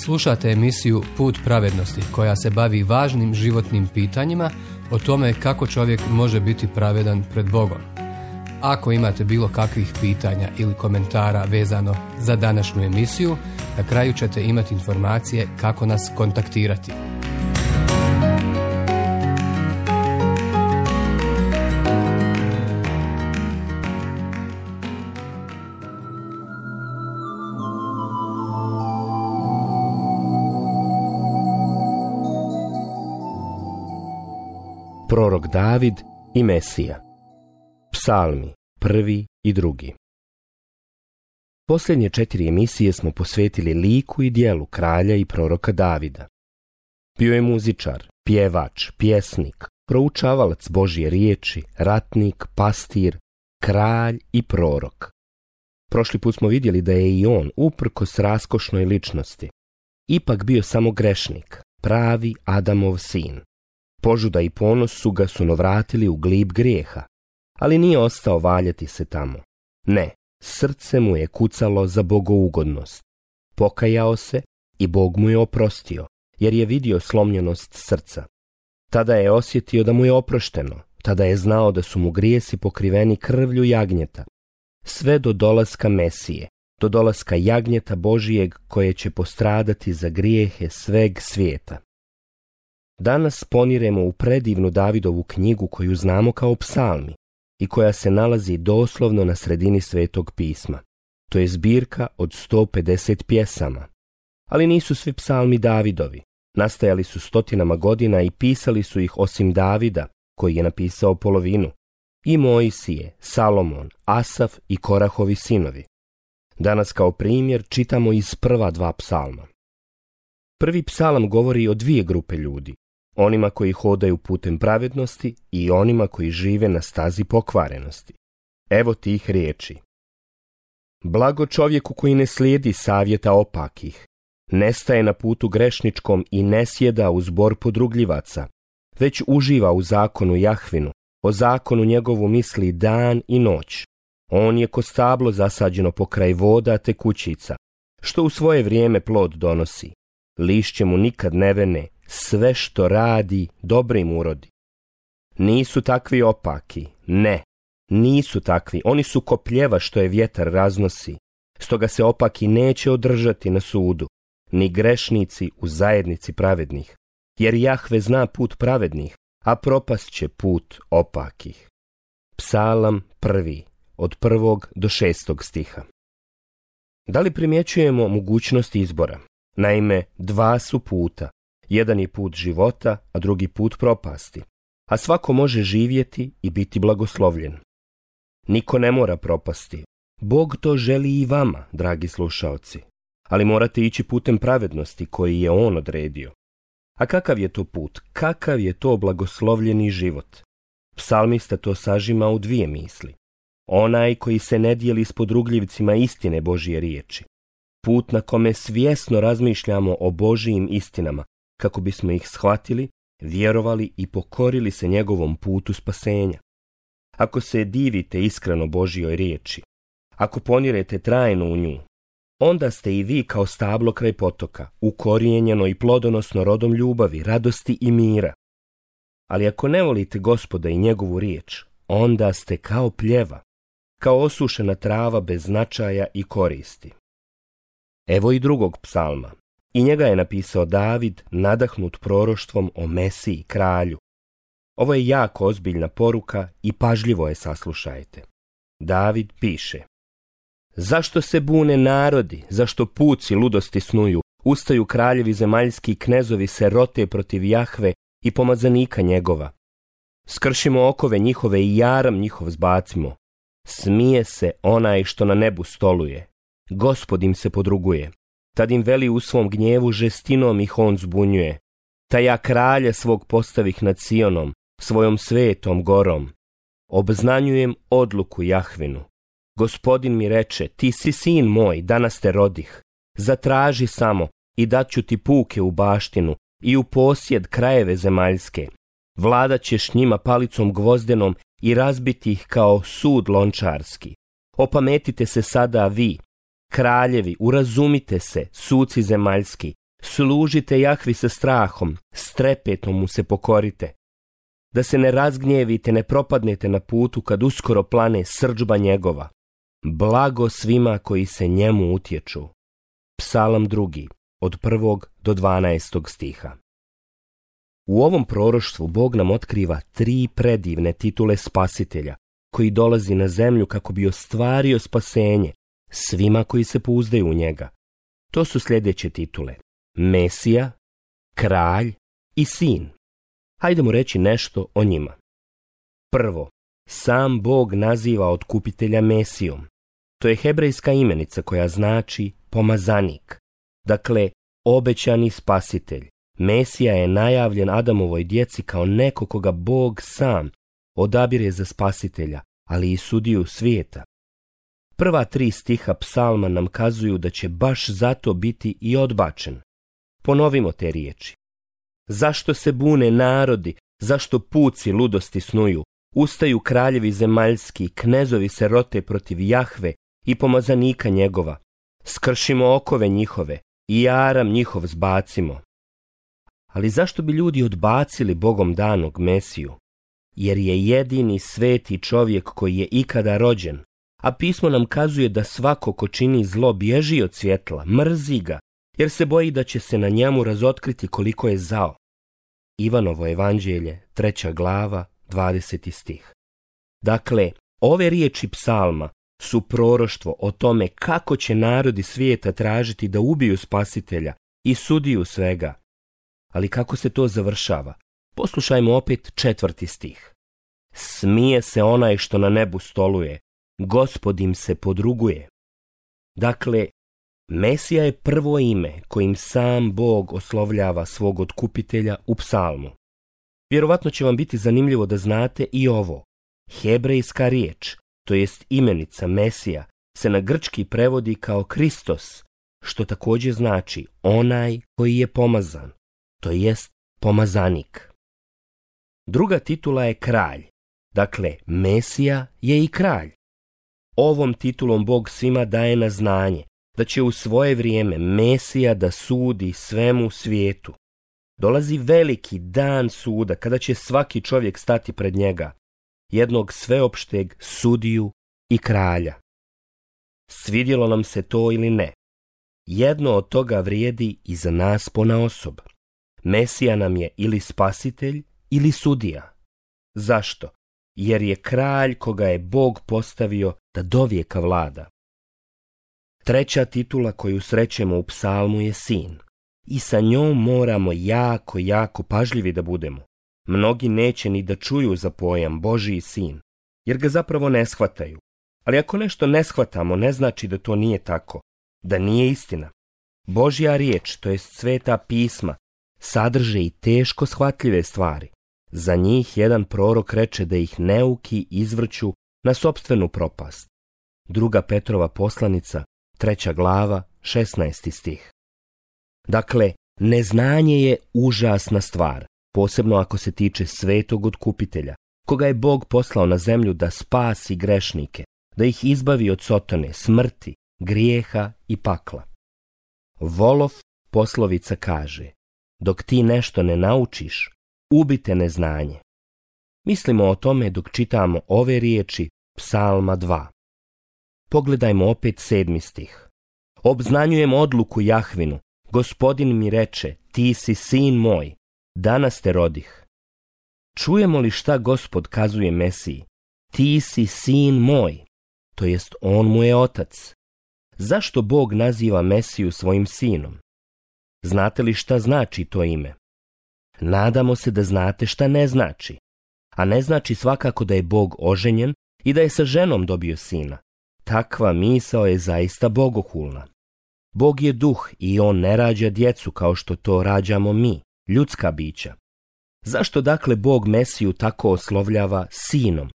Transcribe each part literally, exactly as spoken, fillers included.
Slušate emisiju Put pravednosti koja se bavi važnim životnim pitanjima o tome kako čovjek može biti pravedan pred Bogom. Ako imate bilo kakvih pitanja ili komentara vezano za današnju emisiju, na kraju ćete imati informacije kako nas kontaktirati. Prorok David i Mesija. Psalmi, prvi i drugi. Posljednje četiri emisije smo posvetili liku i djelu kralja i proroka Davida. Bio je muzičar, pjevač, pjesnik, proučavalac Božje riječi, ratnik, pastir, kralj i prorok. Prošli put smo vidjeli da je i on, uprkos raskošnoj ličnosti, ipak bio samo grešnik, pravi Adamov sin. Požuda i ponos su ga sunovratili u glib grijeha, ali nije ostao valjati se tamo. Ne, srce mu je kucalo za bogougodnost. Pokajao se i Bog mu je oprostio, jer je vidio slomljenost srca. Tada je osjetio da mu je oprošteno, tada je znao da su mu grijesi pokriveni krvlju jagnjeta. Sve do dolaska Mesije, do dolaska jagnjeta Božijeg koje će postradati za grijehe sveg svijeta. Danas poniremo u predivnu Davidovu knjigu koju znamo kao psalmi i koja se nalazi doslovno na sredini Svetog pisma. To je zbirka od sto pedeset pjesama. Ali nisu svi psalmi Davidovi. Nastajali su stotinama godina i pisali su ih osim Davida, koji je napisao polovinu, i Mojsije, Salomon, Asaf i Korahovi sinovi. Danas kao primjer čitamo iz prva dva psalma. Prvi psalam govori o dvije grupe ljudi. Onima koji hodaju putem pravednosti i onima koji žive na stazi pokvarenosti. Evo tih riječi. Blago čovjeku koji ne slijedi savjeta opakih, ne staje na putu grešničkom i ne sjeda u zbor podrugljivaca, već uživa u zakonu Jahvinu, o zakonu njegovu misli dan i noć. On je ko stablo zasađeno pokraj voda te kućica, što u svoje vrijeme plod donosi. Lišće mu nikad ne vene, sve što radi dobrim urodi. Nisu takvi opaki, ne, nisu takvi, oni su ko pljeva što je vjetar raznosi, stoga se opaki neće održati na sudu, ni grešnici u zajednici pravednih, jer Jahve zna put pravednih, a propast će put opakih. Psalam prvi, od prvog do šestog stiha. Da li primjećujemo mogućnost izbora? Naime, dva su puta. Jedan je put života, a drugi put propasti. A svako može živjeti i biti blagoslovljen. Niko ne mora propasti. Bog to želi i vama, dragi slušaoci. Ali morate ići putem pravednosti koji je On odredio. A kakav je to put? Kakav je to blagoslovljeni život? Psalmista to sažima u dvije misli. Onaj koji se ne dijeli s podrugljivcima istine Božje riječi. Put na kome svjesno razmišljamo o Božijim istinama, kako bismo ih shvatili, vjerovali i pokorili se njegovom putu spasenja. Ako se divite iskreno Božjoj riječi, ako ponirete trajno u nju, onda ste i vi kao stablo kraj potoka, ukorijenjeno i plodonosno rodom ljubavi, radosti i mira. Ali ako ne volite Gospoda i njegovu riječ, onda ste kao pljeva, kao osušena trava bez značaja i koristi. Evo i drugog psalma. I njega je napisao David, nadahnut proroštvom o Mesiji, kralju. Ovo je jako ozbiljna poruka i pažljivo je saslušajte. David piše: Zašto se bune narodi, zašto puci ludosti snuju, ustaju kraljevi zemaljski, knezovi se rote protiv Jahve i pomazanika njegova. Skršimo okove njihove i jaram njihov zbacimo. Smije se onaj što na nebu stoluje. Gospod im se podruguje. Tad im veli u svom gnjevu, žestinom ih on zbunjuje. Ta ja kralja svog postavih nad Sionom, svojom svetom gorom. Obznanjujem odluku Jahvinu. Gospodin mi reče, ti si sin moj, danas te rodih. Zatraži samo i daću ti puke u baštinu i u posjed krajeve zemaljske. Vladat ćeš njima palicom gvozdenom i razbiti ih kao sud lončarski. Opametite se sada vi, kraljevi, urazumite se, suci zemaljski, Služite Jahvi sa strahom, s trepetom mu se pokorite. Da se ne razgnjevite, ne propadnete na putu kad uskoro plane srdžba njegova. Blago svima koji se njemu utječu. Psalam drugi, od prvog do dvanaestog stiha. U ovom proroštvu Bog nam otkriva tri predivne titule spasitelja, koji dolazi na zemlju kako bi ostvario spasenje svima koji se pouzdaju u njega. To su sljedeće titule: Mesija, Kralj i Sin. Hajdemo reći nešto o njima. Prvo, sam Bog naziva otkupitelja Mesijom. To je hebrejska imenica koja znači pomazanik. Dakle, obećani spasitelj. Mesija je najavljen Adamovoj djeci kao neko koga Bog sam odabire za spasitelja, ali i sudiju svijeta. Prva tri stiha psalma nam kazuju da će baš zato biti i odbačen. Ponovimo te riječi. Zašto se bune narodi, zašto puci ludosti snuju, ustaju kraljevi zemaljski, knezovi se rote protiv Jahve i pomazanika njegova. Skršimo okove njihove i jaram njihov zbacimo. Ali zašto bi ljudi odbacili Bogom danog Mesiju? Jer je jedini sveti čovjek koji je ikada rođen, a pismo nam kazuje da svako ko čini zlo bježi od svjetla, mrzi ga, jer se boji da će se na njemu razotkriti koliko je zao. Ivanovo evanđelje, treća glava, dvadeseti stih. Dakle, ove riječi psalma su proroštvo o tome kako će narodi svijeta tražiti da ubiju spasitelja i sudiju svega. Ali kako se to završava? Poslušajmo opet četvrti stih. Smije se onaj što na nebu stoluje, Gospod im se podruguje. Dakle, Mesija je prvo ime kojim sam Bog oslovljava svog otkupitelja u psalmu. Vjerovatno će vam biti zanimljivo da znate i ovo. Hebrejska riječ, to jest imenica Mesija, se na grčki prevodi kao Kristos, što također znači onaj koji je pomazan, to jest pomazanik. Druga titula je kralj, dakle Mesija je i kralj. Ovom titulom Bog svima daje na znanje da će u svoje vrijeme Mesija da sudi svemu svijetu. Dolazi veliki dan suda kada će svaki čovjek stati pred njega, jednog sveopšteg sudiju i kralja. Svidjelo nam se to ili ne, jedno od toga vrijedi i za nas ponaosob. Mesija nam je ili spasitelj ili sudija. Zašto? Jer je kralj koga je Bog postavio da dovijeka vlada. Treća titula koju srećemo u psalmu je sin. I sa njom moramo jako, jako pažljivi da budemo. Mnogi neće ni da čuju za pojam Božji sin, jer ga zapravo ne shvataju. Ali ako nešto ne shvatamo, ne znači da to nije tako, da nije istina. Božja riječ, to jest sveta pisma, sadrže i teško shvatljive stvari. Za njih jedan prorok reče da ih neuki izvrću na sopstvenu propast. Druga Petrova poslanica, treća glava, šesnaesti stih. Dakle, neznanje je užasna stvar, posebno ako se tiče svetog otkupitelja, koga je Bog poslao na zemlju da spasi grešnike, da ih izbavi od sotone, smrti, grijeha i pakla. Volov poslovica kaže, dok ti nešto ne naučiš, ubite neznanje. Mislimo o tome dok čitamo ove riječi Psalma dva. Pogledajmo opet sedmi stih. Obznanjujem odluku Jahvinu, Gospodin mi reče, ti si sin moj, danas te rodih. Čujemo li šta Gospod kazuje Mesiji? Ti si sin moj, to jest on mu je otac. Zašto Bog naziva Mesiju svojim sinom? Znate li šta znači to ime? Nadamo se da znate šta ne znači. A ne znači svakako da je Bog oženjen i da je sa ženom dobio sina. Takva misao je zaista bogohulna. Bog je duh i on ne rađa djecu kao što to rađamo mi, ljudska bića. Zašto dakle Bog Mesiju tako oslovljava sinom?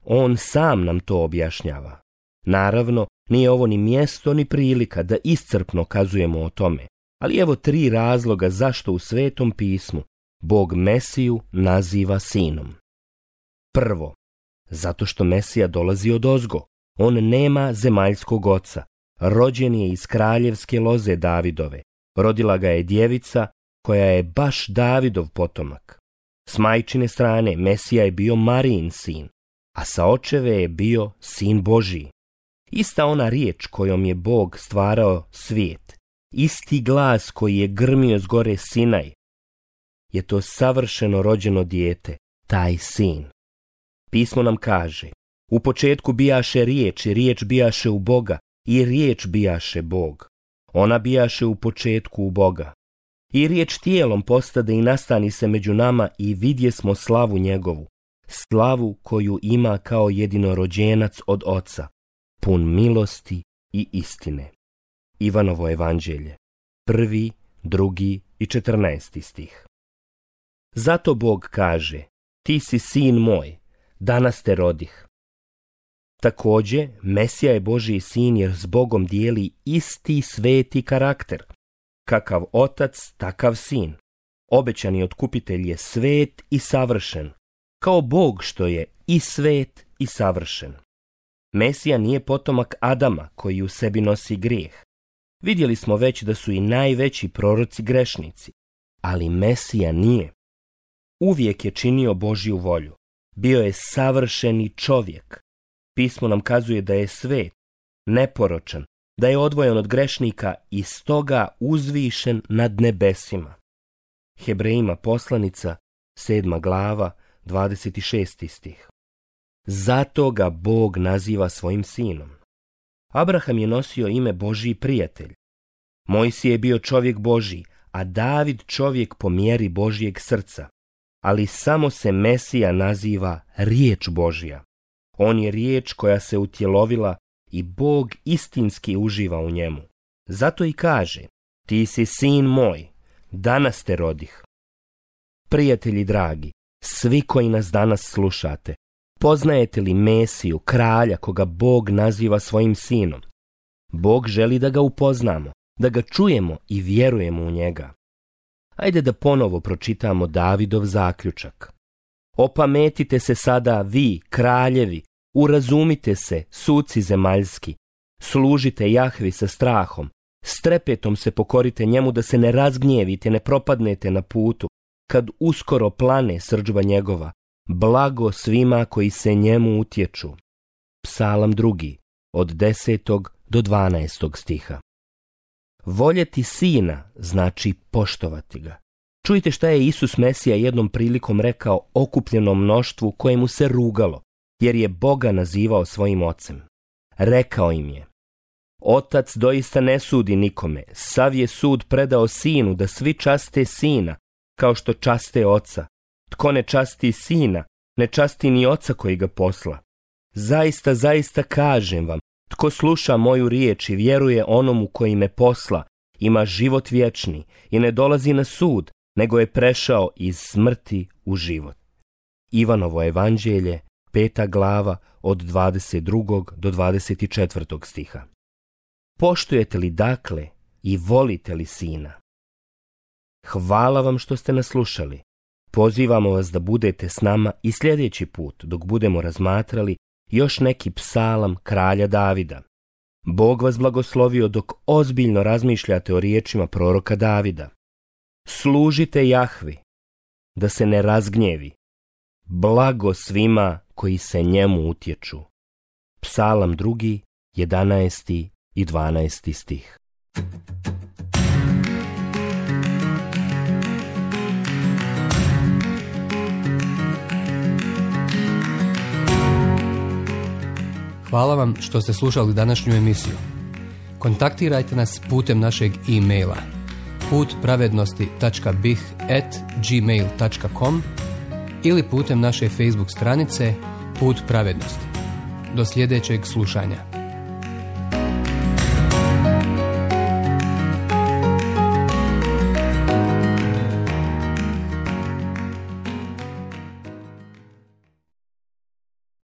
On sam nam to objašnjava. Naravno, nije ovo ni mjesto ni prilika da iscrpno kazujemo o tome, ali evo tri razloga zašto u Svetom pismu Bog Mesiju naziva sinom. Prvo, zato što Mesija dolazi od ozgo. On nema zemaljskog oca, rođen je iz kraljevske loze Davidove, Rodila ga je djevica koja je baš Davidov potomak. S majčine strane Mesija je bio Marijin sin, a sa očeve je bio sin Božji. Ista ona riječ kojom je Bog stvarao svijet, isti glas koji je grmio s gore Sinaj, je to savršeno rođeno dijete, taj sin. Pismo nam kaže, u početku bijaše riječ i riječ bijaše u Boga i riječ bijaše Bog. Ona bijaše u početku u Boga. I riječ tijelom postade i nastani se među nama i vidje smo slavu njegovu, slavu koju ima kao jedinorođenac od Oca, pun milosti i istine. Ivanovo evanđelje, prvi, drugi i četrnaesti stih. Zato Bog kaže, ti si sin moj, danas te rodih. Također, Mesija je Božji sin jer s Bogom dijeli isti sveti karakter. Kakav otac, takav sin. Obećani otkupitelj je svet i savršen, kao Bog što je i svet i savršen. Mesija nije potomak Adama koji u sebi nosi grijeh. Vidjeli smo već da su i najveći proroci grešnici, ali Mesija nije. Uvijek je činio Božju volju. Bio je savršeni čovjek. Pismo nam kazuje da je svet, neporočan, da je odvojen od grešnika i stoga uzvišen nad nebesima. Hebrejima poslanica, sedma glava, dvadeset šesti stih. Zato ga Bog naziva svojim sinom. Abraham je nosio ime Božji prijatelj. Mojsije je bio čovjek Božji, a David čovjek po mjeri Božjeg srca. Ali samo se Mesija naziva riječ Božja. On je riječ koja se utjelovila i Bog istinski uživa u njemu. Zato i kaže, ti si sin moj, danas te rodih. Prijatelji dragi, svi koji nas danas slušate, poznajete li Mesiju, kralja koga Bog naziva svojim sinom? Bog želi da ga upoznamo, da ga čujemo i vjerujemo u njega. Ajde da ponovo pročitamo Davidov zaključak. Opametite se sada vi, kraljevi, urazumite se, suci zemaljski, služite Jahvi sa strahom, s trepetom se pokorite njemu da se ne razgnjevite, ne propadnete na putu, kad uskoro plane srdžba njegova, blago svima koji se njemu utječu. Psalam drugi, od desetog do dvanaestog stiha. Voljeti sina znači poštovati ga. Čujte šta je Isus Mesija jednom prilikom rekao okupljenom mnoštvu kojemu se rugalo, jer je Boga nazivao svojim ocem. Rekao im je, Otac doista ne sudi nikome, sav je sud predao sinu da svi časte sina, kao što časte oca. Tko ne časti sina, ne časti ni oca koji ga posla. Zaista, zaista kažem vam, tko sluša moju riječ i vjeruje onomu koji me posla, ima život vječni i ne dolazi na sud, nego je prešao iz smrti u život. Ivanovo evanđelje, peta glava, od dvadeset drugog do dvadeset četvrtog stiha. Poštujete li dakle i volite li sina? Hvala vam što ste nas slušali. Pozivamo vas da budete s nama i sljedeći put dok budemo razmatrali još neki psalam kralja Davida. Bog vas blagoslovio dok ozbiljno razmišljate o riječima proroka Davida. Služite Jahvi, da se ne razgnjevi. Blago svima koji se njemu utječu. Psalam drugi, jedanaesti i dvanaesti stih. Hvala vam što ste slušali današnju emisiju. Kontaktirajte nas putem našeg e-maila put pravednosti tačka b i h at gmail tačka com ili putem naše Facebook stranice Put pravednosti. Do sljedećeg slušanja.